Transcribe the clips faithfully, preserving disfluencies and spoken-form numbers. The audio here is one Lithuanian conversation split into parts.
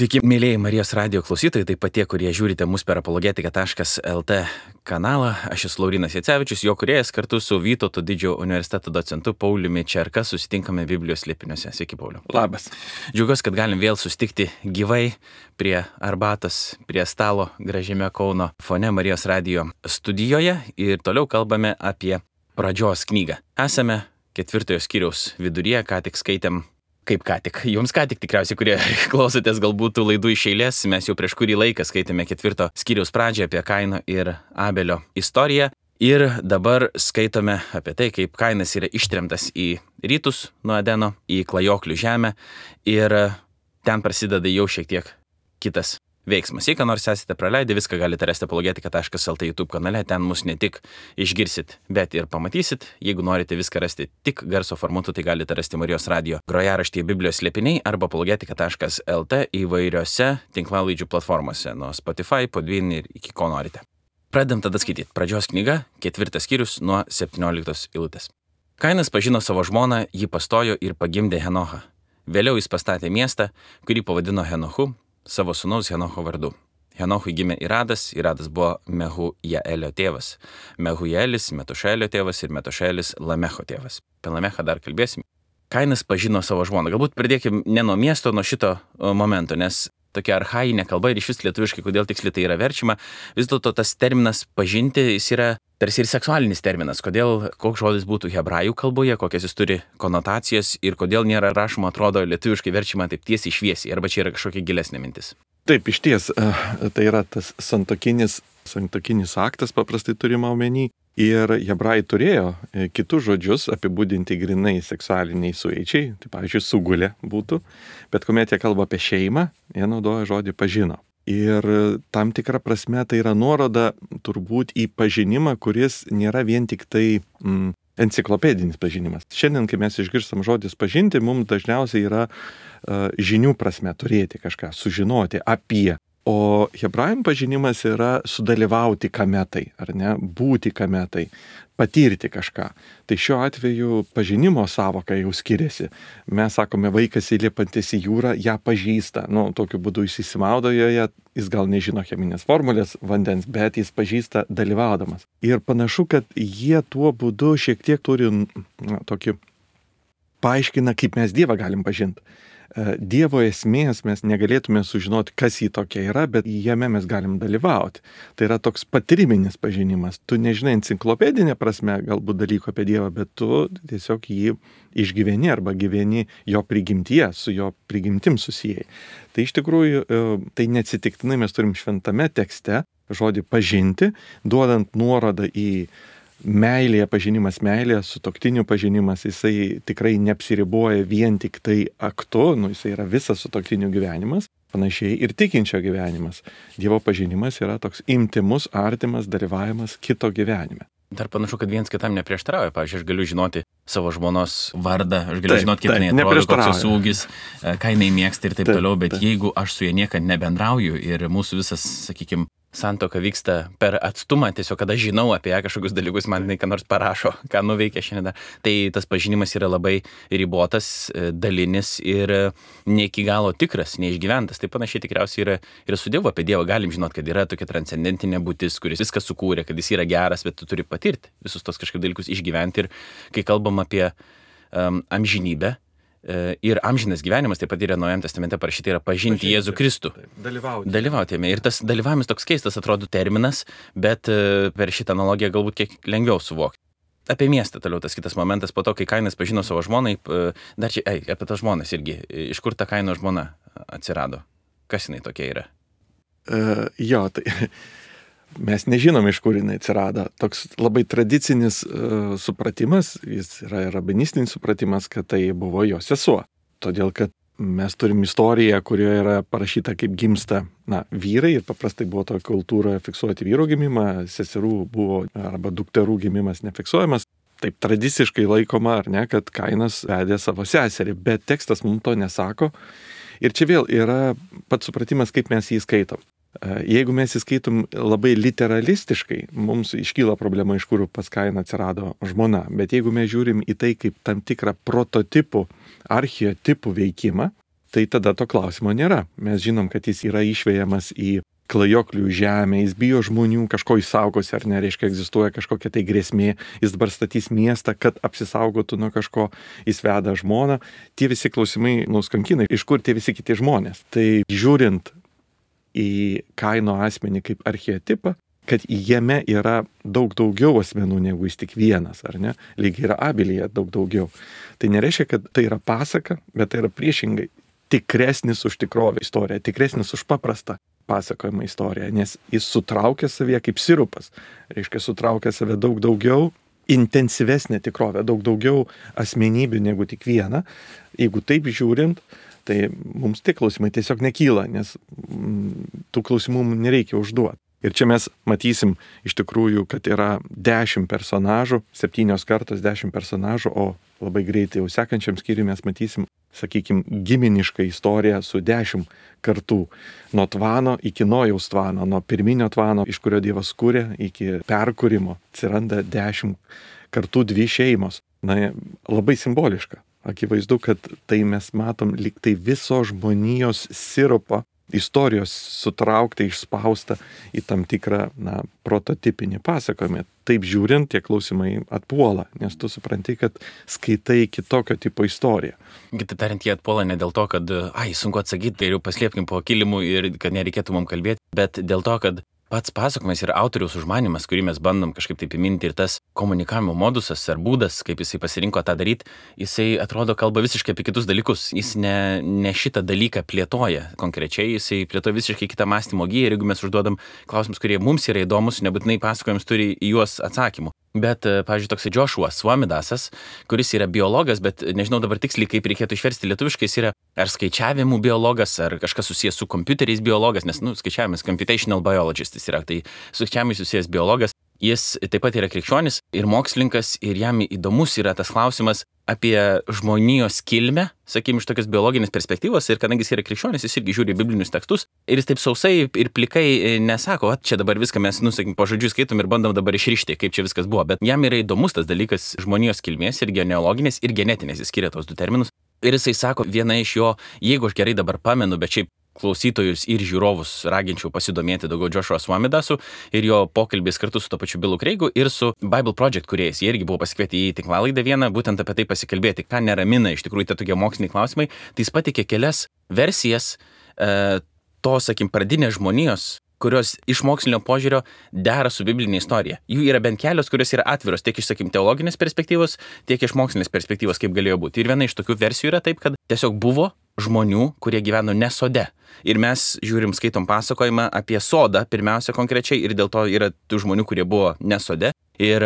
Sveiki, mėlyjei Marijos radijo klausytojai, taip pat tie, kurie žiūrite mus per apologetika taškas lt kanalą. Aš esu Laurynas Jacevičius, jo kūrėjas, kartu su Vytauto didžiojo universiteto docentu Pauliumi Čerka susitinkame Biblijos slėpiniuose. Sveiki, Pauliu. Labas. Džiaugiuosi, kad galim vėl susitikti gyvai prie arbatos, prie stalo gražiame Kauno fone Marijos radijo studijoje ir toliau kalbame apie pradžios knygą. Esame ketvirtojo skyriaus viduryje, ką tik skaitėm. Kaip ką tik, jums ką tik tikriausiai, kurie klausotės galbūt tų laidų iš eilės, mes jau prieš kurį laiką skaitėme ketvirto skyriaus pradžią apie Kaino ir Abelio istoriją ir dabar skaitome apie tai, kaip Kainas yra ištremtas į rytus nuo Edeno, į klajoklių žemę ir ten prasideda jau šiek tiek kitas veiksmas. Jei ką nors esate praleidę, viską galite rasti apologetika taškas lt YouTube kanale, ten mus ne tik išgirsit, bet ir pamatysit. Jeigu norite viską rasti tik garso formatu, tai galite rasti Marijos radijo grojaraštyje Biblijos slėpiniai arba apologetika taškas lt įvairiose tinklalaidžių platformose, nuo Spotify, Podbean ir iki ko norite. Pradedam tada skaityti. Pradžios knyga, ketvirtas skyrius nuo septynioliktos eilutės. Kainas pažino savo žmoną, jį pastojo ir pagimdė Henochą. Vėliau jis pastatė miestą, kurį pavadino Henochu, savo sūnaus Henocho vardu. Henochui gimė Iradas, Iradas buvo Mehujaelio tėvas. Mehujaelis Metušaelio tėvas ir Metušaelis Lamecho tėvas. Apie Lamechą dar kalbėsim. Kainas pažino savo žmoną. Galbūt pradėkim ne nuo miesto, nuo šito momento, nes tokia archainė kalba ir iš vis lietuviškai, kodėl tiksliai tai yra verčiama. Vis dėlto tas terminas pažinti, jis yra tarsi ir seksualinis terminas. Kodėl, koks žodis būtų hebrajų kalboje, kokias jis turi konotacijas ir kodėl nėra rašoma, atrodo, lietuviškai verčiama taip tiesiai šviesiai, arba čia yra kažkokia gilesnė mintis. Taip, iš ties, tai yra tas santokinis, santokinis aktas, paprastai turima omeny. Ir hebrajai turėjo kitus žodžius apibūdinti grinai seksualiniai sueičiai, tai pavyzdžiui, sugulė būtų, bet kuomet jie kalba apie šeimą, jie naudoja žodį pažino. Ir tam tikra prasme tai yra nuoroda turbūt į pažinimą, kuris nėra vien tik tai mm, enciklopedinis pažinimas. Šiandien, kai mes išgirstam žodis pažinti, mums dažniausiai yra uh, žinių prasme turėti kažką, sužinoti apie. O hebrajam pažinimas yra sudalyvauti kame tai, ar ne, būti kame tai, patirti kažką. Tai šiuo atveju pažinimo savoka jau skiriasi. Mes sakome, vaikas įlipantis į jūrą, ją pažįsta. Nu, tokiu būdu jis įsimaudo joje, jis gal nežino cheminės formulės vandens, bet jis pažįsta dalyvaudamas. Ir panašu, kad jie tuo būdu šiek tiek turi na, tokį paaiškina, kaip mes Dievą galim pažinti. Dievo esmės mes negalėtume sužinoti, kas jį tokia yra, bet jame mes galim dalyvauti. Tai yra toks patyriminis pažinimas. Tu nežinai enciklopedinė prasme galbūt dalyko apie Dievą, bet tu tiesiog jį išgyveni arba gyveni jo prigimtyje, su jo prigimtim susijai. Tai iš tikrųjų, tai neatsitiktinai mes turim šventame tekste žodį pažinti, duodant nuorodą į meilėje pažinimas, meilėje, sutuoktinių pažinimas, jisai tikrai neapsiriboja vien tik tai aktu, nu jisai yra visas sutuoktinių gyvenimas, panašiai ir tikinčio gyvenimas. Dievo pažinimas yra toks intymus, artimas dalyvavimas kito gyvenime. Dar panašu, kad viens kitam neprieštarauja. Pavyzdžiui, aš galiu žinoti savo žmonos vardą, aš galiu taip, žinoti, kaip taip, jinai atrodo, koks jos ūgis, ką jinai mėgsta ir taip, taip toliau, bet taip. Jeigu aš su ja niekad nebendrauju ir mūsų visas, sakykime, santuoka vyksta per atstumą, tiesiog kada žinau apie ją kažkokius dalykus, man jinai ką nors parašo, ką nuveikė šiandien. Tai tas pažinimas yra labai ribotas, dalinis ir ne iki galo tikras, neišgyventas. Tai panašiai tikriausiai yra ir su Dievu. Apie Dievą galim žinoti, kad yra tokia transcendentinė būtis, kuris viską sukūrė, kad jis yra geras, bet tu turi patirti visus tos kažkaip dalykus išgyventi. Ir kai kalbam apie um, amžinybę, ir amžinas gyvenimas, taip pat yra Naujajame testamente parašyta, yra pažinti, pažinti Jėzų Kristų. Dalyvauti. Dalyvauti jame. Ir tas dalyvavimas toks keistas atrodo terminas, bet per šitą analogiją galbūt kiek lengviau suvokti. Apie miestą toliau tas kitas momentas, po to, kai Kainas pažino savo žmonai, dar čia, ei, apie tas žmonas irgi, iš kur ta Kaino žmona atsirado? Kas jinai tokia yra? Uh, jo, tai... Mes nežinom, iš kur jinai atsirado. Toks labai tradicinis uh, supratimas, jis yra rabinistinis supratimas, kad tai buvo jo sesuo. Todėl, kad mes turim istoriją, kurioje yra parašyta, kaip gimsta na, vyrai, ir paprastai buvo tokia kultūra fiksuoti vyro gimimą, seserų buvo arba dukterų gimimas nefiksuojamas. Taip tradiciškai laikoma, ar ne, kad Kainas vedė savo seserį, bet tekstas mums to nesako. Ir čia vėl yra pats supratimas, kaip mes jį skaitom. Jeigu mes įskaitom labai literalistiškai, mums iškyla problema, iš kur pas Kainą atsirado žmona. Bet jeigu mes žiūrim į tai kaip tam tikrą prototipų, archetipų veikimą, tai tada to klausimo nėra. Mes žinom, kad jis yra išvejamas į klajoklių žemę, jis bijo žmonių, kažko išsaugos ar ne, reiškia, egzistuoja kažkokia tai grėsmė, jis dabar statys miestą, kad apsisaugotų nuo kažko, jis veda žmoną. Tie visi klausimai nuskankina, iš kur tie visi kiti žmonės. Tai žiūrint į Kaino asmenį kaip archetipą, kad jame yra daug daugiau asmenų negu jis tik vienas, ar ne? Lygiai yra Abelyje daug daugiau. Tai nereiškia, kad tai yra pasaka, bet tai yra priešingai tikresnis už tikrovę istoriją, tikresnis už paprastą pasakojimą istoriją, nes jis sutraukia savyje kaip sirupas, reiškia sutraukia save daug daugiau, intensyvesnė tikrovė, daug daugiau asmenybių negu tik viena. Jeigu taip žiūrint, tai mums tie klausimai tiesiog nekyla, nes mm, tų klausimų mums nereikia užduoti. Ir čia mes matysim iš tikrųjų, kad yra dešimt personažų, septynios kartos dešimt personažų, o labai greitai jau sekančiam skyriui mes matysim, sakykime, giminišką istoriją su dešimt kartų. Nuo Tvano iki Nojaus Tvano, nuo pirminio Tvano, iš kurio Dievas kūrė, iki perkūrimo atsiranda dešimt kartų dvi šeimos. Na, labai simboliška. Akivaizdu, kad tai mes matom lyg tai viso žmonijos sirupo istorijos sutraukta, išspausta į tam tikrą, na, prototipinį pasakojimą. Taip žiūrint, tie klausimai atpuola, nes tu supranti, kad skaitai kitokio tipo istoriją. Kitaip tariant, jie atpuola ne dėl to, kad, ai, sunku atsakyti, tai jau paslėpkim po kilimu ir kad nereikėtų mums kalbėti, bet dėl to, kad pats pasakojimas yra autoriaus užmanymas, kurį mes bandom kažkaip taip įminti, ir tas komunikavimo modusas ar būdas, kaip jisai pasirinko tą daryti, jisai atrodo kalba visiškai apie kitus dalykus. Jis ne, ne šitą dalyką plėtoja konkrečiai, jisai plėtoja visiškai kitą mąstymo giją, ir jeigu mes užduodam klausimus, kurie mums yra įdomus, nebūtinai pasakojimas turi į juos atsakymų. Bet, pavyzdžiui, toksai Joshua Swamidasas, kuris yra biologas, bet nežinau dabar tiksliai, kaip reikėtų išversti lietuviškai, jis yra ar skaičiavimų biologas, ar kažkas susijęs su kompiuteriais biologas, nes, nu, skaičiavimas, computational biologist jis yra, tai su skaičiavimais susijęs biologas. Jis taip pat yra krikščionis ir mokslininkas, ir jam įdomus yra tas klausimas apie žmonijos kilmę, sakykime, iš tokios biologinės perspektyvos, ir kadangi jis yra krikščionis, jis irgi žiūri biblinius tekstus, ir jis taip sausai ir plikai nesako, o čia dabar viską mes, nu, sakykime, po žodžiu skaitom ir bandom dabar išrišti, kaip čia viskas buvo, bet jam yra įdomus tas dalykas žmonijos kilmės ir genealoginės ir genetinės, jis skiria tos du terminus, ir jisai sako, viena iš jo, jeigu aš gerai dabar pamenu, bet šiaip klausytojus ir žiūrovus raginčiau pasidomėti daugiau Joshua Swamidasu ir jo pokalbis kartu su to pačiu Billu Craigu ir su Bible Project kūrėjais. Jie irgi buvo pasikvieti į tinklalaidę vieną, būtent apie tai pasikalbėti, ką neramina iš tikrųjų tie tokie moksliniai klausimai. Tai jis pateikė kelias versijas e, to, sakim, pradinės žmonijos, kurios iš mokslinio požiūrio dera su biblinė istorija. Jų yra bent kelios, kurios yra atviros tiek iš, sakim, teologinės perspektyvos, tiek iš mokslinės perspektyvos, kaip galėjo būti. Ir viena iš tokių versijų yra taip, kad tiesiog buvo žmonių, kurie gyveno ne sode. Ir mes žiūrim, skaitom pasakojimą apie sodą, pirmiausia konkrečiai, ir dėl to yra tų žmonių, kurie buvo ne sode. Ir,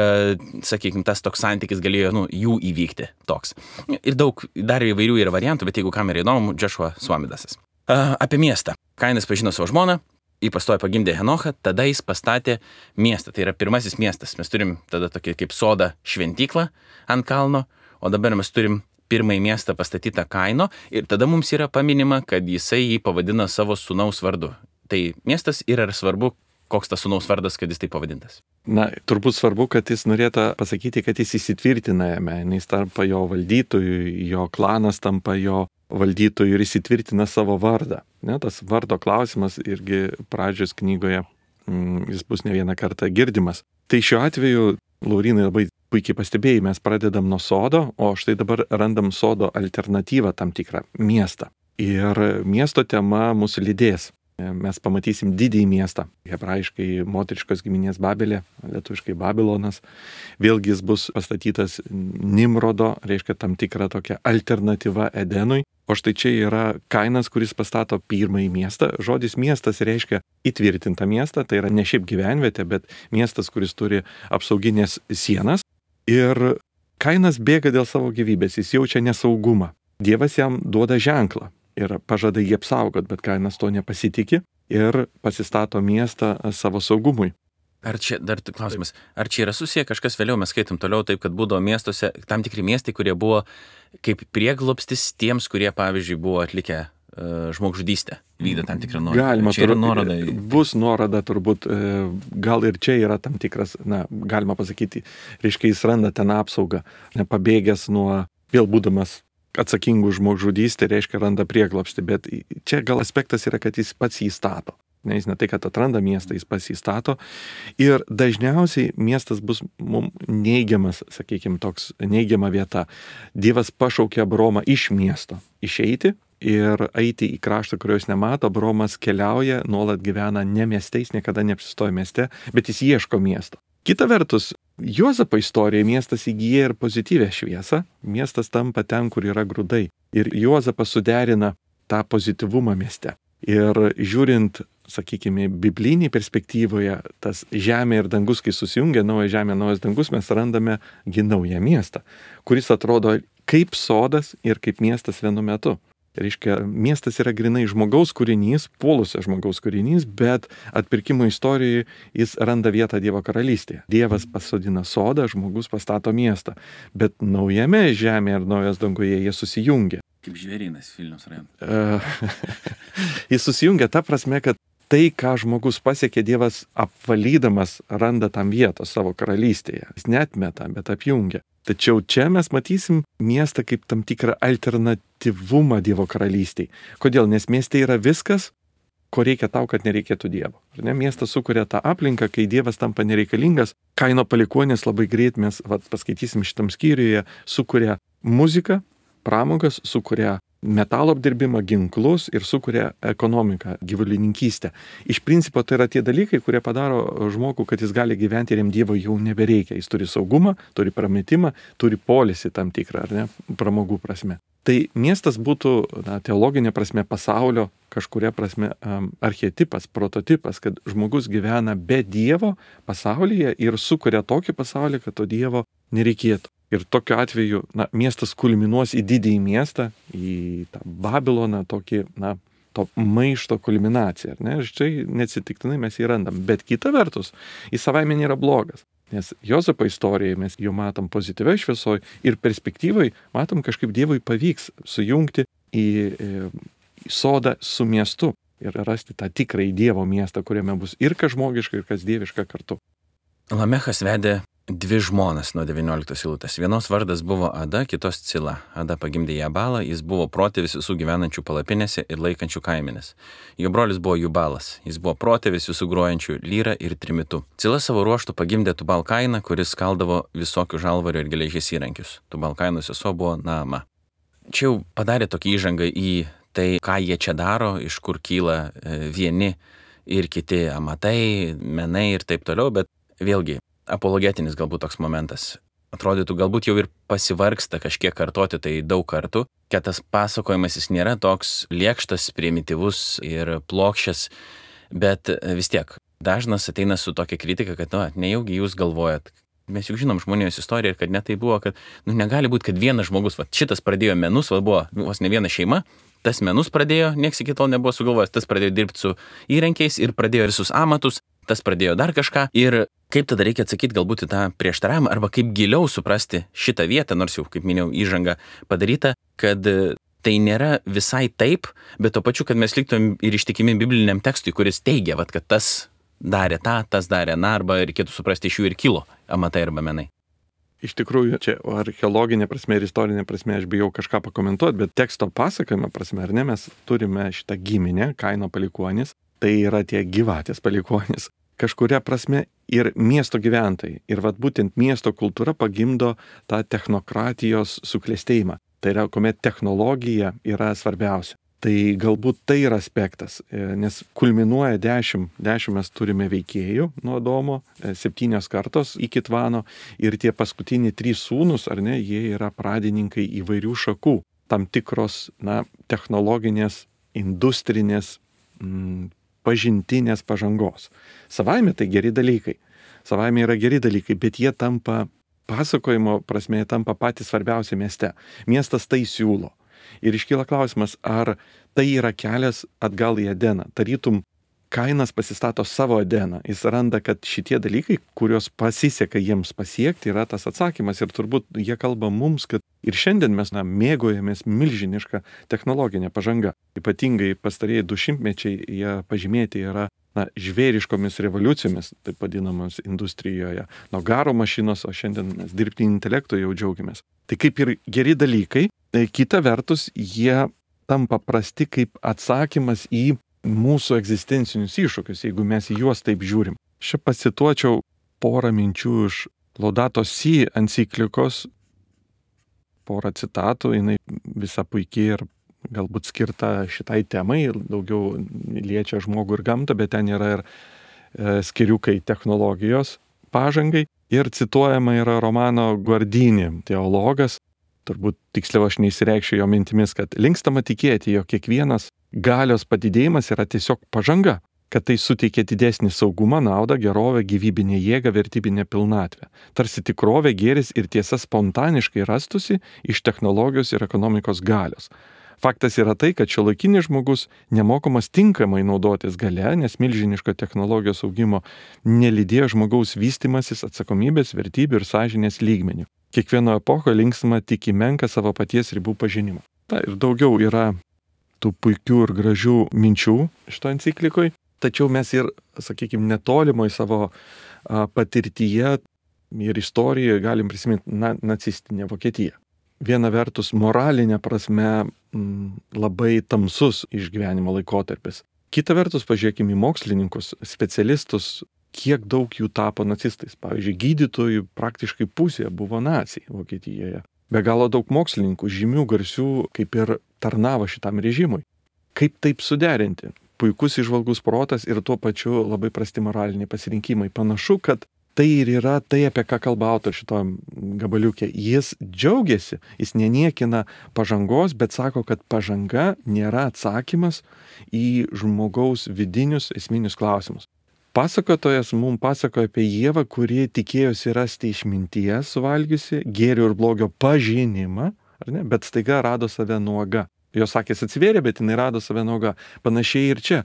sakykime, tas toks santykis galėjo, nu, jų įvykti toks. Ir daug dar įvairių yra variantų, bet jeigu kam yra įdomu, Joshua Swamidasas. Uh, apie miestą. Kainas pažino savo žmoną, jį pastojo pagimdė Henochą, tada jis pastatė miestą. Tai yra pirmasis miestas. Mes turim tada tokį kaip sodą šventyklą ant kalno, o dabar mes turim pirmąjį miestą pastatytą Kaino, ir tada mums yra paminima, kad jisai jį pavadina savo sūnaus vardu. Tai miestas yra svarbu, koks tas sūnaus vardas, kad jis taip pavadintas. Na, turbūt svarbu, kad jis norėtų pasakyti, kad jis įsitvirtina jame, jis tampa jo valdytojų, jo klanas tampa jo valdytojų ir įsitvirtina savo vardą. Ne, tas vardo klausimas irgi pradžios knygoje, mm, jis bus ne vieną kartą girdimas. Tai šiuo atveju, Laurinai, labai puikiai pastebėjai, mes pradedam nuo sodo, o štai dabar randam sodo alternatyvą tam tikrą miestą. Ir miesto tema mūsų lydės. Mes pamatysim didįjį miestą, hebrajiškai moteriškos giminės Babelė, lietuviškai Babilonas. Vėlgi jis bus pastatytas Nimrodo, reiškia tam tikrą tokią alternatyvą Edenui. O štai čia yra Kainas, kuris pastato pirmąjį miestą. Žodis miestas reiškia įtvirtintą miestą, tai yra ne šiaip gyvenvietė, bet miestas, kuris turi apsauginės sienas. Ir Kainas bėga dėl savo gyvybės, jis jaučia nesaugumą. Dievas jam duoda ženklą ir pažada jį apsaugot, bet Kainas to nepasitikė ir pasistato miestą savo saugumui. Ar čia, dar klausimas, ar čia yra susiję kažkas vėliau, mes skaitom toliau taip, kad būdavo miestuose tam tikri miestai, kurie buvo kaip prieglobstis tiems, kurie, pavyzdžiui, buvo atlikę uh, žmogžudystę, vykdė tam tikrą nuorodą. Galima, čia yra nuoroda. Bus nuoroda turbūt, gal ir čia yra tam tikras, na, galima pasakyti, reiškia, jis randa ten apsaugą, nepabėgęs nuo, vėl būdamas atsakingų žmogžudystę, reiškia randa prieglobstį, bet čia gal aspektas yra, kad jis pats jį stato. Ne, jis ne tai, kad atranda miestą, jis pats jį stato. Ir dažniausiai miestas bus mums neigiamas, sakykime, toks neigiama vieta. Dievas pašaukė Abromą iš miesto išeiti ir eiti į kraštą, kurio jis nemato. Abromas keliauja, nuolat gyvena ne mieste, jis niekada neapsistoja mieste, bet jis ieško miesto. Kita vertus, Juozapo istorijoje miestas įgyja ir pozityvę šviesą, miestas tampa ten, kur yra grūdai. Ir Juozapas suderina tą pozityvumą mieste. Ir žiūrint, sakykime, biblinį perspektyvoje, tas žemė ir dangus, kai susijungia, nauja žemė, naujas dangus, mes randame gi naują miestą, kuris atrodo kaip sodas ir kaip miestas vienu metu. Reiškia, miestas yra grinai žmogaus kūrinys, puolusio žmogaus kūrinys, bet atpirkimo istorijoje jis randa vietą Dievo karalystėje. Dievas pasodina sodą, žmogus pastato miestą, bet naujame žemėje ir naujas danguje jie susijungia. Kaip žvėrynas Vilniaus rajone. Jis susijungia ta prasme, kad tai, ką žmogus pasiekė, Dievas apvalydamas randa tam vietos savo karalystėje. Jis neatmeta, bet apjungia. Tačiau čia mes matysim miestą kaip tam tikrą alternatyvumą Dievo karalystėje. Kodėl? Nes mieste yra viskas, ko reikia tau, kad nereikėtų Dievo. Ar ne? Miestas sukuria tą aplinką, kai Dievas tampa nereikalingas. Kaino palikuonis labai greit, mes vat, paskaitysim šitam skyriuje, sukuria muziką, pramogas, sukuria metalo apdirbimą, ginklus ir sukuria ekonomiką, gyvulininkystę. Iš principo tai yra tie dalykai, kurie padaro žmogų, kad jis gali gyventi ir jam Dievo jau nebereikia. Jis turi saugumą, turi prametimą, turi polisį tam tikrą, ar ne, pramogų prasme. Tai miestas būtų, na, teologinė prasme, pasaulio kažkuria prasme um, archetipas, prototipas, kad žmogus gyvena be Dievo pasaulyje ir sukuria tokį pasaulį, kad to Dievo nereikėtų. Ir tokiu atveju, na, miestas kulminuos į didįjį miestą, į tą Babiloną, tokį, na, to maišto kulminaciją, ar ne? Ir čia neatsitiktinai mes jį randam. Bet kita vertus, jis savaime nėra blogas. Nes Juozapo istorijoje mes jau matom pozityviai šviesoj ir perspektyvai matom, kažkaip Dievui pavyks sujungti į, į sodą su miestu ir rasti tą tikrąjį Dievo miestą, kuriame bus ir kas žmogiška, ir kas dieviška kartu. Lamechas vedė dvi žmonas nuo devynioliktos eilutės. Vienos vardas buvo Ada, kitos Cila. Ada pagimdė Jabalą, jis buvo protėvis visų gyvenančių palapinėse ir laikančių kaimenės. Jo brolis buvo Jubalas, jis buvo protėvis visų grojančių lyrą ir trimitu. Cila savo ruoštų pagimdė Tubalkainą, kuris skaldavo visokių žalvario ir geležies įrankius. Tubalkaino sesuo buvo Naama. Čia jau padarė tokį įžangą į tai, ką jie čia daro, iš kur kyla vieni ir kiti amatai, menai ir taip toliau, bet vėlgi, apologetinis galbūt toks momentas. Atrodytų, galbūt jau ir pasivargsta kažkiek kartoti tai daug kartų, kad tas pasakojimas jis nėra toks lėkštas, primityvus ir plokščias, bet vis tiek dažnas ateina su tokia kritika, kad, na, nejaugi jūs galvojat. Mes juk žinom žmonijos istoriją ir kad net tai buvo, kad, nu, negali būti, kad vienas žmogus, va, šitas pradėjo menus, va, buvo vos ne viena šeima, tas menus pradėjo, nieks iki tol nebuvo sugalvojęs, tas pradėjo dirbti su įrankiais ir pradėjo visus amatus, tas pradėjo dar kažką. Ir kaip tada reikia atsakyti galbūt į tą prieštaravimą, arba kaip giliau suprasti šitą vietą, nors jau, kaip minėjau, įžanga padaryta, kad tai nėra visai taip, bet to pačiu, kad mes liktum ir ištikimi bibliniam tekstui, kuris teigia, vat, kad tas darė tą, tas darė na, arba reikėtų suprasti, iš jų ir kilo amatai arba menai. Iš tikrųjų, čia archeologinė prasme ir istorinė prasme aš bijau kažką pakomentuoti, bet teksto pasakojimo prasme, ar ne, mes turime šitą giminę, Kaino palikuonis, tai yra tie gyvatės palikuonis, kažkuria prasme ir miesto gyventojai. Ir vat būtent miesto kultūra pagimdo tą technokratijos suklestėjimą. Tai yra, kuomet technologija yra svarbiausia. Tai galbūt tai yra aspektas, nes kulminuoja dešimt, dešimt mes turime veikėjų nuo Adomo, septynios kartos iki Tvano ir tie paskutiniai trys sūnus, ar ne, jie yra pradininkai įvairių šakų, tam tikros, na, technologinės, industrinės, mm, pažintinės pažangos. Savaime tai geri dalykai, savaime yra geri dalykai, bet jie tampa, pasakojimo prasme, jie tampa patys svarbiausia mieste. Miestas tai siūlo. Ir iškyla klausimas, ar tai yra kelias atgal į Edeną. Tarytum, Kainas pasistato savo Edeną. Jis randa, kad šitie dalykai, kuriuos pasiseka jiems pasiekti, yra tas atsakymas. Ir turbūt jie kalba mums, kad ir šiandien mes, na, mėgojamės milžinišką technologinę pažangą. Ypatingai pastarieji du šimtmečiai jie pažymėti yra, na, žvėriškomis revoliucijomis, taip vadinamos industrijoje. Nuo garo mašinos, o šiandien mes dirbtinio intelekto jau džiaugiamės. Tai kaip ir geri dalykai, kita vertus, jie tampa prasti kaip atsakymas į mūsų egzistencinius iššūkius, jeigu mes į juos taip žiūrim. Čia pacituočiau porą minčių iš Laudato Si enciklikos, porą citatų, jinai visa puikiai ir galbūt skirta šitai temai, daugiau liečia žmogų ir gamtą, bet ten yra ir e, skiriukai technologijos pažangai. Ir cituojama yra Romano Guardini, teologas, turbūt tiksliau aš neįsireikščiau jo mintimis, kad linkstama tikėti, jog kiekvienas galios padidėjimas yra tiesiog pažanga, kad tai suteikia didesnį saugumą, naudą, gerovę, gyvybinę jėgą, vertybinę pilnatvę. Tarsi tikrovė, gėris ir tiesa spontaniškai rastusi iš technologijos ir ekonomikos galios. Faktas yra tai, kad šiuolaikinis žmogus nemokamas tinkamai naudotis galia, nes milžiniško technologijos augimo nelydėjo žmogaus vystimasis atsakomybės, vertybių ir sąžinės lygmenių. Kiekvieno epocho linksma tik į menką savo paties ribų pažinimą. Ta, ir daugiau yra tų puikių ir gražių minčių šito enciklikoj, tačiau mes ir, sakykime, netolimoj savo a, patirtyje ir istorijoje galim prisiminti na, nacistinę Vokietiją. Viena vertus moralinė prasme m, labai tamsus išgyvenimo laikotarpis. Kita vertus pažiūrėkime į mokslininkus, specialistus, kiek daug jų tapo nacistais. Pavyzdžiui, gydytojų praktiškai pusė buvo naciai Vokietijoje. Be galo daug mokslininkų, žymių, garsių, kaip ir tarnavo šitam režimui. Kaip taip suderinti? Puikus įžvalgus protas ir tuo pačiu labai prasti moraliniai pasirinkimai. Panašu, kad tai ir yra tai, apie ką kalba autorius šitom gabaliukė. Jis džiaugiasi, jis neniekina pažangos, bet sako, kad pažanga nėra atsakymas į žmogaus vidinius esminius klausimus. Pasakotojas mums pasakoja apie Ievą, kuri tikėjosi rasti išminties suvalgiusi, gėrio ir blogio pažinimą, ar ne? Bet staiga rado save nuoga. Jos akys atsivėrė, bet jinai rado save nuoga. Panašiai ir čia.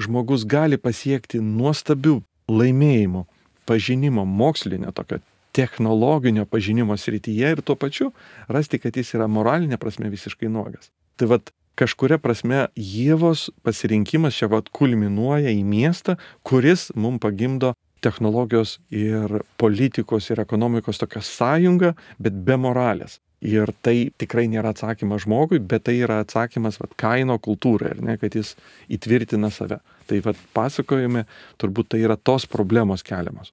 Žmogus gali pasiekti nuostabių laimėjimų, pažinimo, mokslinio, tokio technologinio pažinimo srityje ir tuo pačiu rasti, kad jis yra moralinė prasme visiškai nuogas. Tai vat kažkuria prasme Ievos pasirinkimas čia vat kulminuoja į miestą, kuris mums pagimdo technologijos ir politikos ir ekonomikos tokią sąjungą, bet be moralės. Ir tai tikrai nėra atsakymas žmogui, bet tai yra atsakymas vat, Kaino kultūrai, ar ne, kad jis įtvirtina save. Tai vat, pasakojime turbūt tai yra tos problemos keliamos.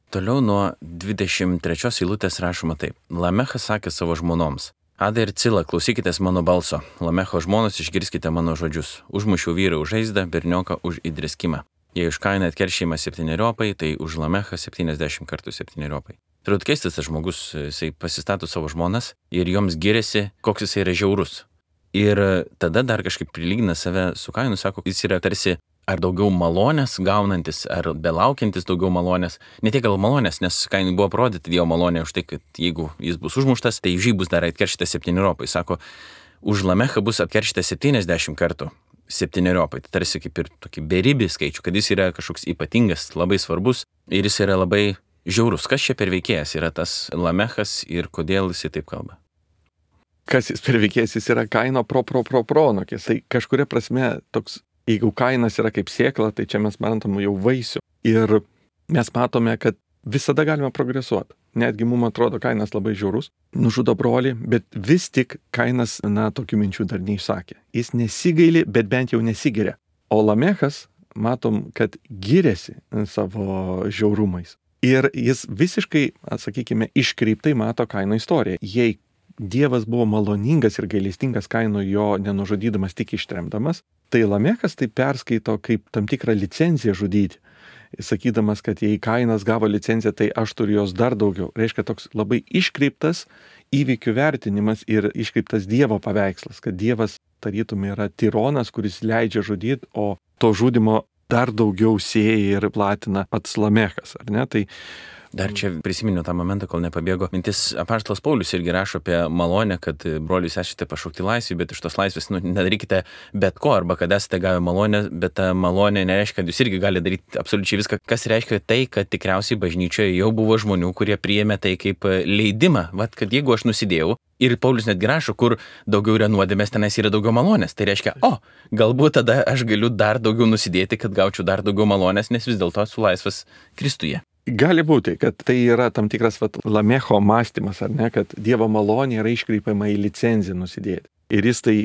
Toliau nuo dvidešimt trečios eilutės rašoma taip. Lamechas sakė savo žmonoms. Ada ir Cila, klausykitės mano balso. Lamecho žmonos, išgirskite mano žodžius. Užmušiau vyrą už žaizdą, bernioką už įdriskimą. Jei už Kainą atkeršėjimą septyniopai, tai už Lamechą septyniasdešimt kartų septyniopai. Turbūt keistas tas žmogus, jisai pasistato savo žmonas ir joms giriasi, koks jisai yra žiaurus. Ir tada dar kažkaip prilygina save su Kainu, sako, jis yra tarsi ar daugiau malonės gaunantis, ar belaukiantis daugiau malonės. Ne tiek gal malonės, nes Kainui buvo parodyti Dievo malonė už tai, kad jeigu jis bus užmuštas, tai už jį bus dar atkeršytas septyniopai. Sako, už Lamechą bus atkeršytas septyniasdešimt kartų septyniopai. Tai tarsi kaip ir tokį beribį skaičių, kad jis yra kažkoks ypatingas, labai svarbus ir jis yra labai žiaurus. Kas čia per veikėjas yra tas Lamechas ir kodėl jis taip kalba? Kas jis per veikėjas? Jis yra Kaino pro pro pro pronokis. Tai kažkuria prasme toks, jeigu Kainas yra kaip sėkla, tai čia mes matom jau vaisių. Ir mes matome, kad visada galime progresuoti. Netgi mums atrodo Kainas labai žiaurus, nužudo brolį, bet vis tik Kainas, na, tokių minčių dar neišsakė. Jis nesigaili, bet bent jau nesigiria. O Lamechas, matom, kad giriasi savo žiaurumais. Ir jis visiškai, sakykime, iškreiptai mato Kaino istoriją. Jei Dievas buvo maloningas ir gailestingas Kaino jo nenužudydamas, tik ištremdamas, tai Lamechas tai perskaito kaip tam tikrą licenciją žudyti. Sakydamas, kad jei Kainas gavo licenciją, tai aš turiu jos dar daugiau. Reiškia toks labai iškreiptas įvykių vertinimas ir iškreiptas Dievo paveikslas, kad Dievas tarytum yra tironas, kuris leidžia žudyti, o to žudimo dar daugiau sėja ir platina pats Lamechas, ar ne? Tai dar čia prisiminiau tą momentą, kol nepabėgo. Mintis apaštalas Paulius irgi rašo apie malonę, kad brolius esate pašaukti laisvį, bet iš tos laisvės nu, nedarykite bet ko, arba kad esate gavę malonę, bet ta malonė nereiškia, kad jūs irgi galite daryti absoliučiai viską, kas reiškia tai, kad tikriausiai bažnyčioje jau buvo žmonių, kurie priėmė tai kaip leidimą. Vat, kad jeigu aš nusidėjau, ir Paulius netgi rašo, kur daugiau yra nuodėmės, tenais yra daugiau malonės. Tai reiškia, o, galbūt tada aš galiu dar daugiau nusidėti, kad gaučiau dar daugiau malonės, nes vis dėlto esu laisvas Kristuje. Gali būti, kad tai yra tam tikras vat, Lamecho mąstymas, ar ne, kad Dievo malonė yra iškreipiama į licenciją nusidėti. Ir jis tai,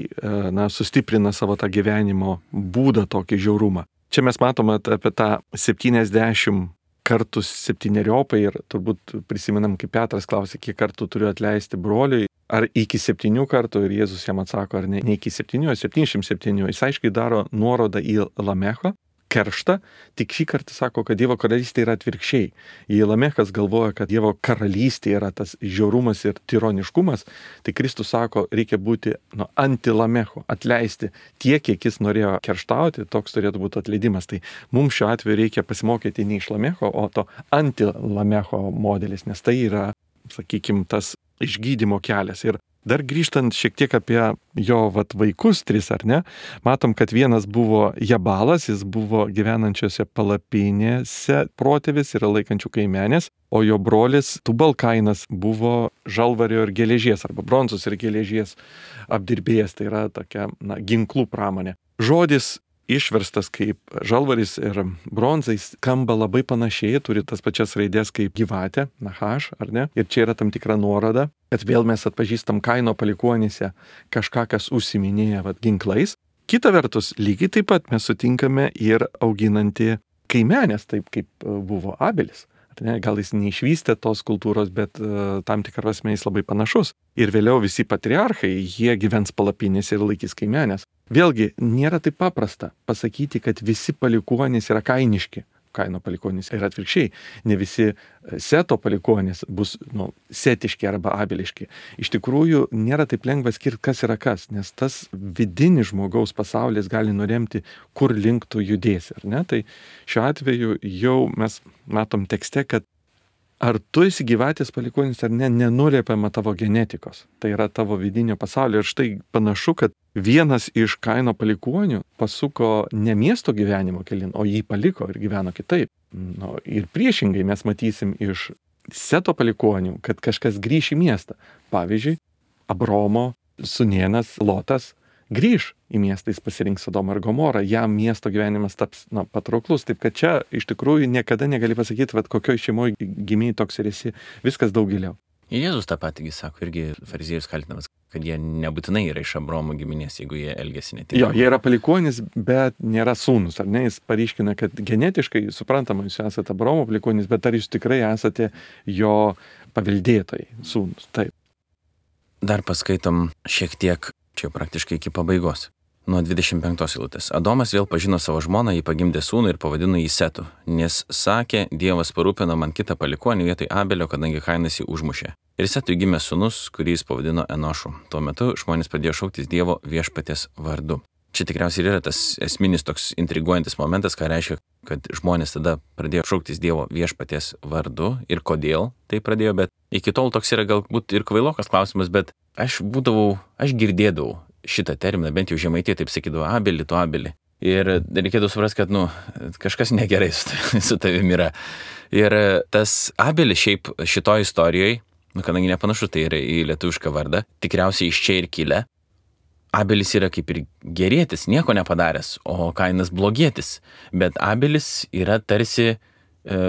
na, sustiprina savo tą gyvenimo būdą, tokį žiaurumą. Čia mes matome apie tą septyniasdešimt kartų septyneriopą ir turbūt prisimenam, kaip Petras klausė, kiek kartų turiu atleisti broliui, ar iki septynių kartų, ir Jėzus jam atsako, ar ne, ne iki septynių, o septyniasdešimt septynių. Jis aiškiai daro nuorodą į Lamecho kerštą, tik šį kartą sako, kad Dievo karalystė yra atvirkščiai. Jei Lamechas galvoja, kad Dievo karalystė yra tas žiaurumas ir tironiškumas, tai Kristus sako, reikia būti nu, anti-Lamecho, atleisti tiek, kiek jis norėjo kerštauti, toks turėtų būti atleidimas. Tai mums šiuo atveju reikia pasimokyti ne iš Lamecho, o to anti-Lamecho modelis, nes tai yra, sakykime, tas išgydymo kelias. Ir dar grįžtant šiek tiek apie jo vat, vaikus tris, ar ne, matom, kad vienas buvo Jabalas, jis buvo gyvenančiose palapinėse protėvis ir laikančių kaimenės, o jo brolis Tubalkainas buvo žalvario ir geležies, arba bronzos ir geležies apdirbėjas, tai yra tokia na, ginklų pramonė. Žodis išverstas kaip žalvaris ir bronzais skamba labai panašiai, turi tas pačias raidės kaip gyvatė, nahaš, ar ne? Ir čia yra tam tikra nuoroda, kad vėl mes atpažįstam Kaino palikuonyse kažką, kas užsiminėja vat, ginklais. Kita vertus, lygiai taip pat mes sutinkame ir auginantį kaimenės, taip kaip buvo Abelis. Ne, gal jis neišvystė tos kultūros, bet uh, tam tikrą prasme jis labai panašus. Ir vėliau visi patriarchai, jie gyvens palapinėse ir laikys kaimenės. Vėlgi, nėra taip paprasta pasakyti, kad visi palikuonys yra kainiški. Kaino palikuonys yra atvirkščiai. Ne visi Seto palikuonys bus nu, setiški arba abeliški. Iš tikrųjų, nėra taip lengva skirti, kas yra kas, nes tas vidinis žmogaus pasaulis gali nuremti, kur link tu judėsi. Ar ne? Tai šiuo atveju jau mes matom tekste, kad ar tu esi gyvatės palikuonis ar ne, nenuliepiama tavo genetikos. Tai yra tavo vidinio pasaulio. Ir štai panašu, kad vienas iš Kaino palikuonių pasuko ne miesto gyvenimo kelin, o jį paliko ir gyveno kitaip. Nu, ir priešingai mes matysim iš Seto palikuonių, kad kažkas grįš į miestą. Pavyzdžiui, Abromo sūnėnas Lotas grįž į miestą, jis pasirinks Sodomą ir Gomorą, jam miesto gyvenimas taps na, patrauklus. Taip kad čia iš tikrųjų niekada negali pasakyti, vad kokioj šeimoje gimiai toks ir esi, viskas daug giliau. Jėzus tą patį sako, irgi fariziejus kaltinamas, kad jie nebūtinai yra iš Abromo giminės, jeigu jie elgesi netinkamai. Jo, jie yra palikuonys, bet nėra sūnus, ar ne? Jis paryškina, kad genetiškai, suprantama, jūs esate Abromo palikuonys, bet ar jūs tikrai esate jo paveldėtojai, sūnus. Taip. Dar paskaitom šiek tiek, čia praktiškai iki pabaigos. Nuo dvidešimt penktos eilutės. Adomas vėl pažino savo žmoną, jį pagimdė sūnų ir pavadino jį Setu, nes sakė, Dievas parūpino man kitą palikuonį vietoj Abelio, kadangi Kainas jį užmušė. Ir Setui gimė sūnus, kurį jis pavadino Enošu. Tuo metu žmonės pradėjo šauktis Dievo viešpaties vardu. Čia tikriausiai yra tas esminis toks intriguojantis momentas, ką reiškia, kad žmonės tada pradėjo šauktis Dievo viešpaties vardu ir kodėl tai pradėjo, bet iki tol toks yra galbūt ir kvailokas klausimas, bet aš būdavau, aš girdėdavau šitą terminą, bent jau žemaitė taip sakydavo, Abelį, tu Abelį. Ir reikėtų suprasti, kad, nu, kažkas negerai su, su tavimi yra. Ir tas Abelis šiaip šitoj istorijoje, nu, kadangi nepanašu, tai yra į lietuvišką vardą, tikriausiai iš čia ir kilę. Abelis yra kaip ir gerėtis, nieko nepadaręs, o Kainas blogėtis. Bet Abelis yra tarsi e,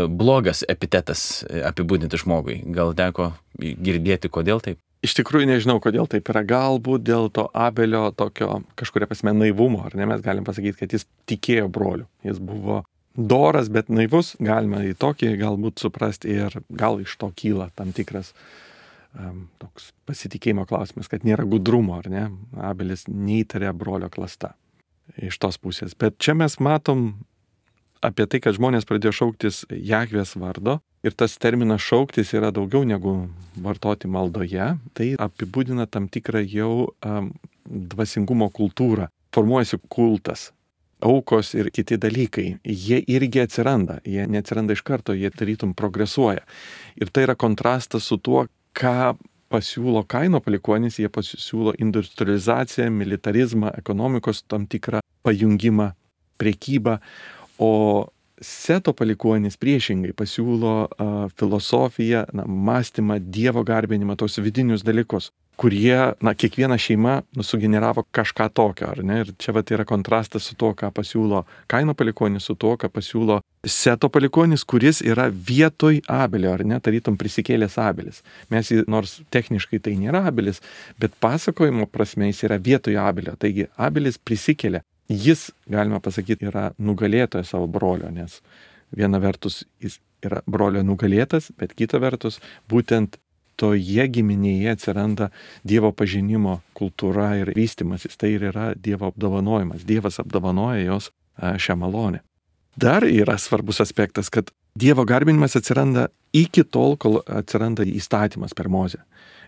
blogas epitetas apibūdinti žmogui. Gal teko girdėti, kodėl taip? Iš tikrųjų nežinau, kodėl taip yra. Galbūt dėl to Abelio tokio kažkuria prasme naivumo, ar ne? Mes galim pasakyti, kad jis tikėjo broliu. Jis buvo doras, bet naivus. Galima į tokį galbūt suprasti ir gal iš to kyla tam tikras um, toks pasitikėjimo klausimas, kad nėra gudrumo, ar ne? Abelis neįtarė brolio klasta iš tos pusės. Bet čia mes matom apie tai, kad žmonės pradėjo šauktis Jahvės vardo. Ir tas terminas šauktis yra daugiau negu vartoti maldoje. Tai apibūdina tam tikrą jau um, dvasingumo kultūrą. Formuojasi kultas, aukos ir kiti dalykai. Jie irgi atsiranda. Jie neatsiranda iš karto, jie tarytum progresuoja. Ir tai yra kontrastas su tuo, ką pasiūlo Kaino palikuonys. Jie pasiūlo industrializaciją, militarizmą, ekonomikos tam tikrą pajungimą, prekybą. O Seto palikuonis priešingai pasiūlo uh, filosofiją, na, mąstymą, Dievo garbinimą, tos vidinius dalykus. kurie, na, kiekviena šeima nu, sugeneravo kažką tokio, ar ne? Ir čia vat yra kontrastas su to, ką pasiūlo Kaino palikuonis, su to, ką pasiūlo Seto palikuonis, kuris yra vietoj Abelio, ar ne? Tarytum prisikėlęs Abelis. Mes, nors techniškai tai nėra Abelis, bet pasakojimo prasme jis yra vietoj Abelio. Taigi Abelis prisikėlė. Jis, galima pasakyti, yra nugalėtojas savo brolio, nes viena vertus jis yra brolio nugalėtas, bet kita vertus būtent toje giminėje atsiranda Dievo pažinimo kultūra ir vystimasis. Tai ir yra Dievo apdovanojimas. Dievas apdovanoja jos šią malonę. Dar yra svarbus aspektas, kad Dievo garbinimas atsiranda iki tol, kol atsiranda įstatymas per Mozę.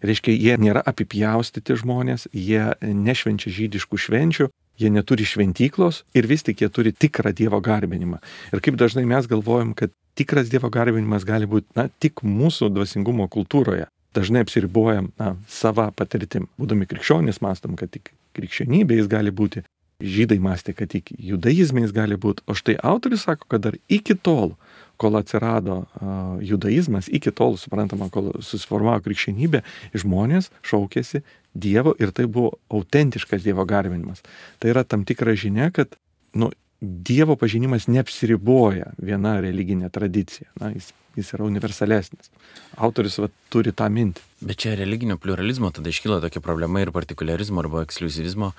Reiškia, jie nėra apipjaustyti žmonės, jie nešvenčia žydiškų švenčių, jie neturi šventyklos ir vis tik jie turi tikrą Dievo garbinimą. Ir kaip dažnai mes galvojam, kad tikras Dievo garbinimas gali būti, na, tik mūsų dvasingumo kultūroje. Dažnai apsiribuojam, na, sava patirtim. Būdami krikščionys mąstom, kad tik krikščionybė jis gali būti. Žydai mąstė, kad tik judaizme jis gali būti. O štai autorius sako, kad dar iki tol, kol atsirado uh, judaizmas, iki tol, suprantama, kol susiformavo krikščionybė, žmonės šaukėsi Dievo ir tai buvo autentiškas Dievo garbinimas. Tai yra tam tikra žinia, kad, nu, Dievo pažinimas neapsiriboja viena religinė tradicija. Na, jis, jis yra universalesnis. Autorius va, turi tą mintį. Bet čia religinio pluralizmo tada iškyla tokia problema ir partikularizmo arba ekskliuzivizmo,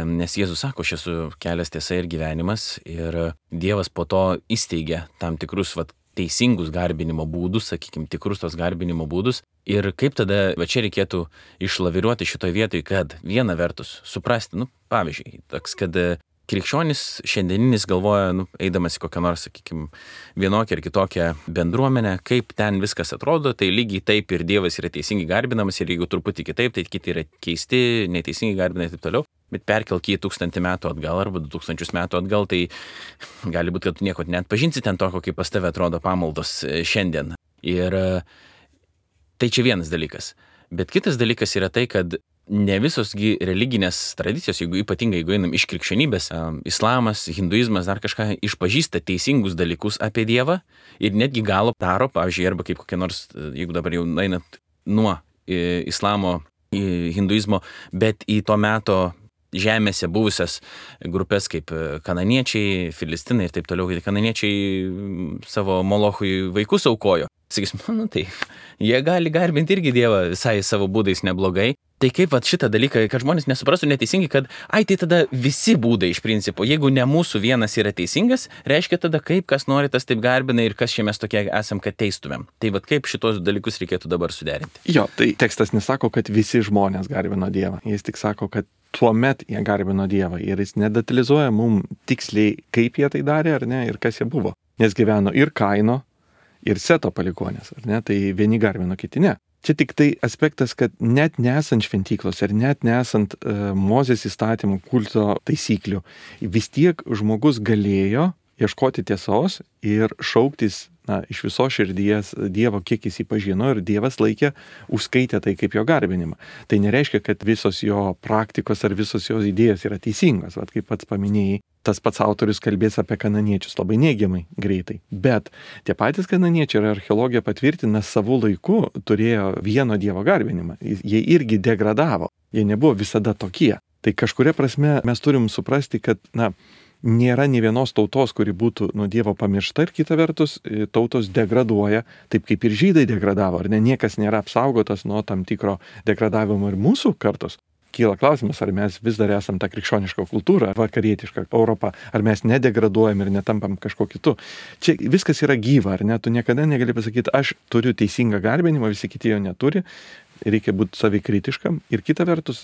nes Jėzus sako, aš esu kelias, tiesa ir gyvenimas, ir Dievas po to įsteigia tam tikrus va, teisingus garbinimo būdus, sakykime, tikrus tos garbinimo būdus. Ir kaip tada, va čia reikėtų išlaviruoti šitoje vietoje, kad viena vertus suprasti, nu, pavyzdžiui, toks, kad krikščionis šiandieninis galvoja, nu, eidamas į kokią nors, sakykime, vienokią ar kitokią bendruomenę, kaip ten viskas atrodo, tai lygiai taip ir Dievas yra teisingai garbinamas ir jeigu truputį kitaip, tai kiti yra keisti, neteisingai garbinami ir taip toliau. Bet perkelk jį tūkstantį metų atgal arba du tūkstančius metų atgal, tai gali būti, kad tu nieko net pažinsi ten toko, kaip pas tave atrodo pamaldos šiandien. Ir tai čia vienas dalykas. Bet kitas dalykas yra tai, kad ne visosgi religinės tradicijos, jeigu ypatingai, jeigu einam iš krikščionybės, islamas, hinduizmas, dar kažką išpažįsta teisingus dalykus apie Dievą ir netgi galo daro, pavyzdžiui, arba kaip kokia nors, jeigu dabar jau einat nuo islamo į hinduizmo, bet į to meto žemėse buvusias grupės kaip kananiečiai, filistinai ir taip toliau, kai kananiečiai savo molochui vaikus aukojo. Sakysim, nu tai, jie gali garbinti irgi Dievą visai savo būdais neblogai. Tai kaip vat šitą dalyką, kad žmonės nesuprastų neteisingai, kad ai, tai tada visi būdai iš principo, jeigu ne mūsų vienas yra teisingas, reiškia tada kaip kas nori, tas taip garbina ir kas čia mes tokie esam, kad teistumėm. Tai vat kaip šitos dalykus reikėtų dabar suderinti. Jo, tai tekstas nesako, kad visi žmonės garbino Dievą. Jis tik sako, kad tuomet jie garbino Dievą ir jis nedetalizuoja mums tiksliai, kaip jie tai darė ar ne ir kas jie buvo. Nes gyveno ir Kaino, ir Seto palikuonės, ar ne? Tai vieni garbino, kiti ne. Čia tik tai aspektas, kad net nesant šventyklos ir net nesant uh, Mozės įstatymų kulto taisyklių, vis tiek žmogus galėjo ieškoti tiesos ir šauktis na, iš viso širdies Dievo, kiek jis jį pažino ir Dievas laikė, užskaitė tai kaip jo garbinimą. Tai nereiškia, kad visos jo praktikos ar visos jo idėjos yra teisingos, vat kaip pats paminėjai. Tas pats autorius kalbės apie kananiečius labai neigiamai greitai. Bet tie patys kananiečiai ir archeologija patvirtina savų laikų turėjo vieno Dievo garbinimą. Jie irgi degradavo. Jie nebuvo visada tokie. Tai kažkuria prasme mes turim suprasti, kad na, nėra nė vienos tautos, kuri būtų nuo Dievo pamiršta ir kita vertus tautos degraduoja, taip kaip ir žydai degradavo. Ar ne, niekas nėra apsaugotas nuo tam tikro degradavimo ir mūsų kartos. Kyla klausimas, ar mes vis dar esam tą krikščionišką kultūrą, vakarietišką Europą, ar mes nedegraduojam ir netampam kažko kitu. Čia viskas yra gyva, ar ne? Tu niekada negali pasakyti, aš turiu teisingą garbinimą, visi kiti jo neturi. Reikia būti savikritiškam ir kita vertus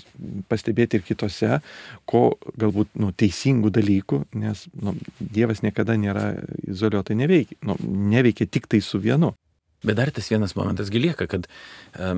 pastebėti ir kitose, ko galbūt nu, teisingų dalykų, nes nu, Dievas niekada nėra izoliuotai neveikia, nu, neveikia tik tai su vienu. Bet dar tas vienas momentas lieka, kad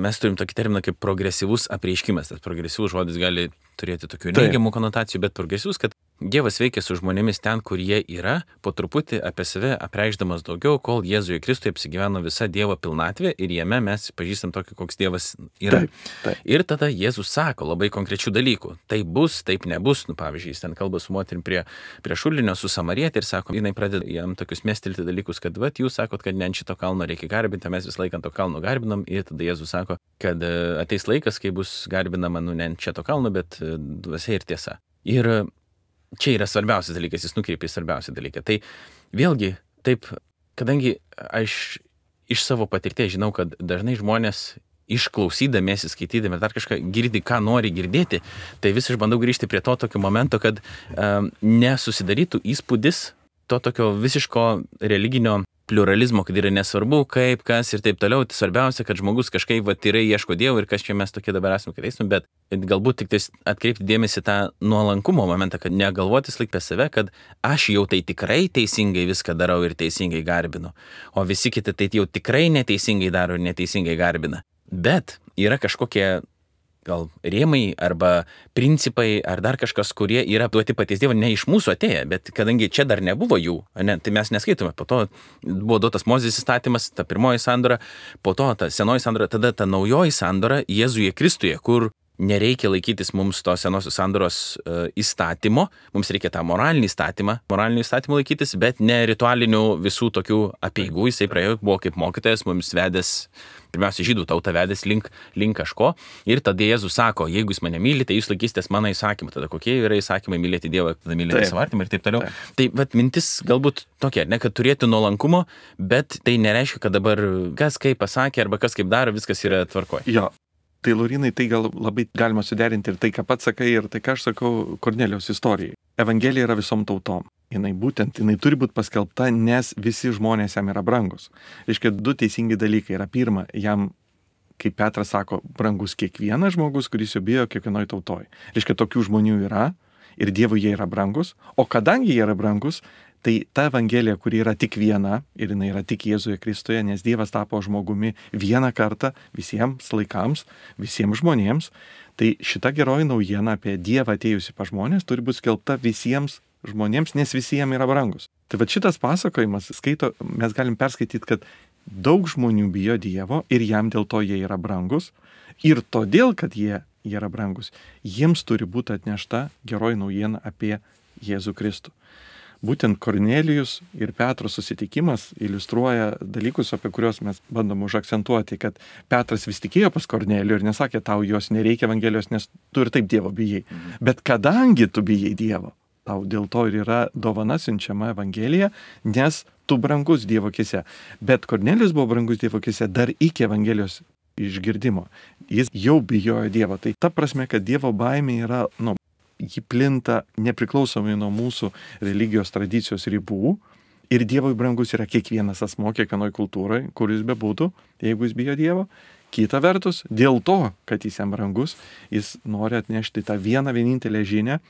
mes turim tokį terminą kaip progresyvus apreiškimas. Tas progresyvus žodis gali turėti tokių neigiamų konotacijų, bet progresyvus, kad Dievas veikia su žmonėmis ten, kur jie yra, po truputį apie save apreikšdamas daugiau, kol Jėzuje Kristuje apsigyveno visa Dievo pilnatvė ir jame mes pažįstam tokį, koks Dievas yra. Taip, taip. Ir tada Jėzus sako labai konkrečių dalykų. Tai bus, taip nebus. Nu, pavyzdžiui, jis ten kalba su moterim prie, prie šulinio, su samarietė ir sako, jinai pradeda jam tokius mestelti dalykus, kad vat, jūs sakot, kad ne ant šito kalno reikia garbinti, mes vis laiką ant to kalno garbinam. Ir tada Jėzus sako, kad ateis laikas, kai bus garbinama nu, ne ant šito kalno, bet dvasia ir tiesa. Ir čia yra svarbiausias dalykas, jis nukreipia į svarbiausią dalyką. Tai vėlgi, taip, kadangi aš iš savo patirties žinau, kad dažnai žmonės išklausydamiesi, skaitydami dar kažką girdi, ką nori girdėti, tai vis aš bandau grįžti prie to tokio momento, kad um, nesusidarytų įspūdis to tokio visiško religinio pliuralizmo, kad yra nesvarbu, kaip, kas ir taip toliau. Tai svarbiausia, kad žmogus kažkaip va, tyrai ieško Dievo ir kas čia mes tokie dabar esame, kad eisime, bet galbūt tik tais atkreipti dėmesį tą nuolankumo momentą, kad negalvotis laik apie save, kad aš jau tai tikrai teisingai viską darau ir teisingai garbinu, o visi kiti tai jau tikrai neteisingai daro ir neteisingai garbina. Bet yra kažkokie gal rėmai arba principai ar dar kažkas, kurie yra duoti paties Dievo, ne iš mūsų atėję, bet kadangi čia dar nebuvo jų, ne, tai mes neskaitome. Po to buvo duotas Mozės įstatymas, ta pirmoji sandora, po to ta senoji sandora, tada ta naujoji sandora Jėzuje Kristuje, kur nereikia laikytis mums to senosios sandoros uh, įstatymo, mums reikia tą moralinį įstatymą, moralinį įstatymą laikytis, bet ne ritualinių visų tokių apeigų, jisai praėjo, buvo kaip mokytojas, mums vedęs, pirmiausia, žydų tautą vedęs link, link kažko. Ir tada Jėzus sako, jeigu jūs mane mylite, jūs laikysitės mano įsakymą. Tada kokie yra įsakymai mylėti Dievą, tada mylėti savo artimą ir taip toliau. Taip. Tai vat, mintis galbūt tokia, ne, kad turėtų nuolankumo, bet tai nereiškia, kad dabar kas kaip pasakė arba kas kaip daro, viskas yra tvarkoje. Jo. Tai Laurinai, tai gal labai galima suderinti ir tai, ką pats sakai, ir tai, ką aš sakau Kornelijaus istorijai. Evangelija yra visom tautom. Jinai būtent, jinai turi būti paskelbta, nes visi žmonės jam yra brangus. Reiškia, du teisingi dalykai yra. Pirma, jam, kaip Petras sako, brangus kiekvienas žmogus, kuris jo bijo kiekvienoj tautoj. Reiškia, tokių žmonių yra ir Dievui jie yra brangus. O kadangi jie yra brangus, tai ta Evangelija, kuri yra tik viena ir jinai yra tik Jėzuje Kristuje, nes Dievas tapo žmogumi vieną kartą visiems laikams, visiems žmonėms, tai šita geroji naujiena apie Dievą atėjusi pas žmonės turi būti skelbta visiems žmonėms, nes visiems yra brangus. Tai va šitas pasakojimas, skaito, mes galim perskaityti, kad daug žmonių bijo Dievo ir jam dėl to jie yra brangus. Ir todėl, kad jie, jie yra brangus, jiems turi būti atnešta geroji naujiena apie Jėzų Kristų. Būtent Kornelijus ir Petro susitikimas iliustruoja dalykus, apie kuriuos mes bandom užakcentuoti, kad Petras vis tikėjo pas Kornelijų ir nesakė, tau jos nereikia Evangelijos, nes tu ir taip Dievo bijai. Bet kadangi tu bijai Dievo, tau dėl to ir yra dovana siunčiama Evangelija, nes tu brangus Dievo akise. Bet Kornelijus buvo brangus Dievo akise dar iki Evangelijos išgirdimo. Jis jau bijojo Dievo. Tai ta prasme, kad Dievo baimė yra, nu, ji plinta nepriklausomai nuo mūsų religijos tradicijos ribų ir Dievui brangus yra kiekvienas asmo, kiekvienoj kultūrai, kur jis bebūtų, jeigu jis bijo Dievo. Kita vertus, dėl to, kad jis jam brangus, jis nori atnešti tą vieną vienintelę žinią,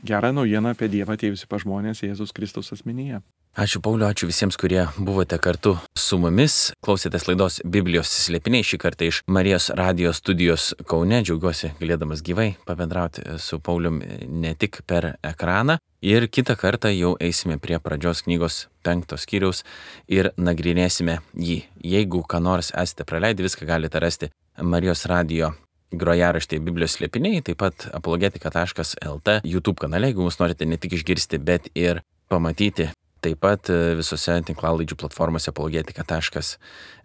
gerą naujieną apie Dievą atėjusi pas žmonės Jėzus Kristaus asmenyje. Ačiū Pauliu, ačiū visiems, kurie buvote kartu su mumis. Klausėtės laidos Biblijos slėpiniai šį kartą iš Marijos radijo studijos Kaune. Džiaugiuosi galėdamas gyvai pabendrauti su Paulium ne tik per ekraną. Ir kitą kartą jau eisime prie pradžios knygos penktos skyriaus ir nagrinėsime jį. Jeigu ką nors esate praleidę, viską galite rasti Marijos radijo grojaraštėje Biblijos slėpiniai, taip pat apologetika taškas lt YouTube kanale, jeigu mus norite ne tik išgirsti, bet ir pamatyti. Taip pat visose tinklalaidžių platformose apologetika taškas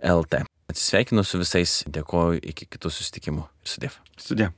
lt. Atsisveikinu su visais, dėkoju, iki kitų susitikimų ir sudiev. Sudiev.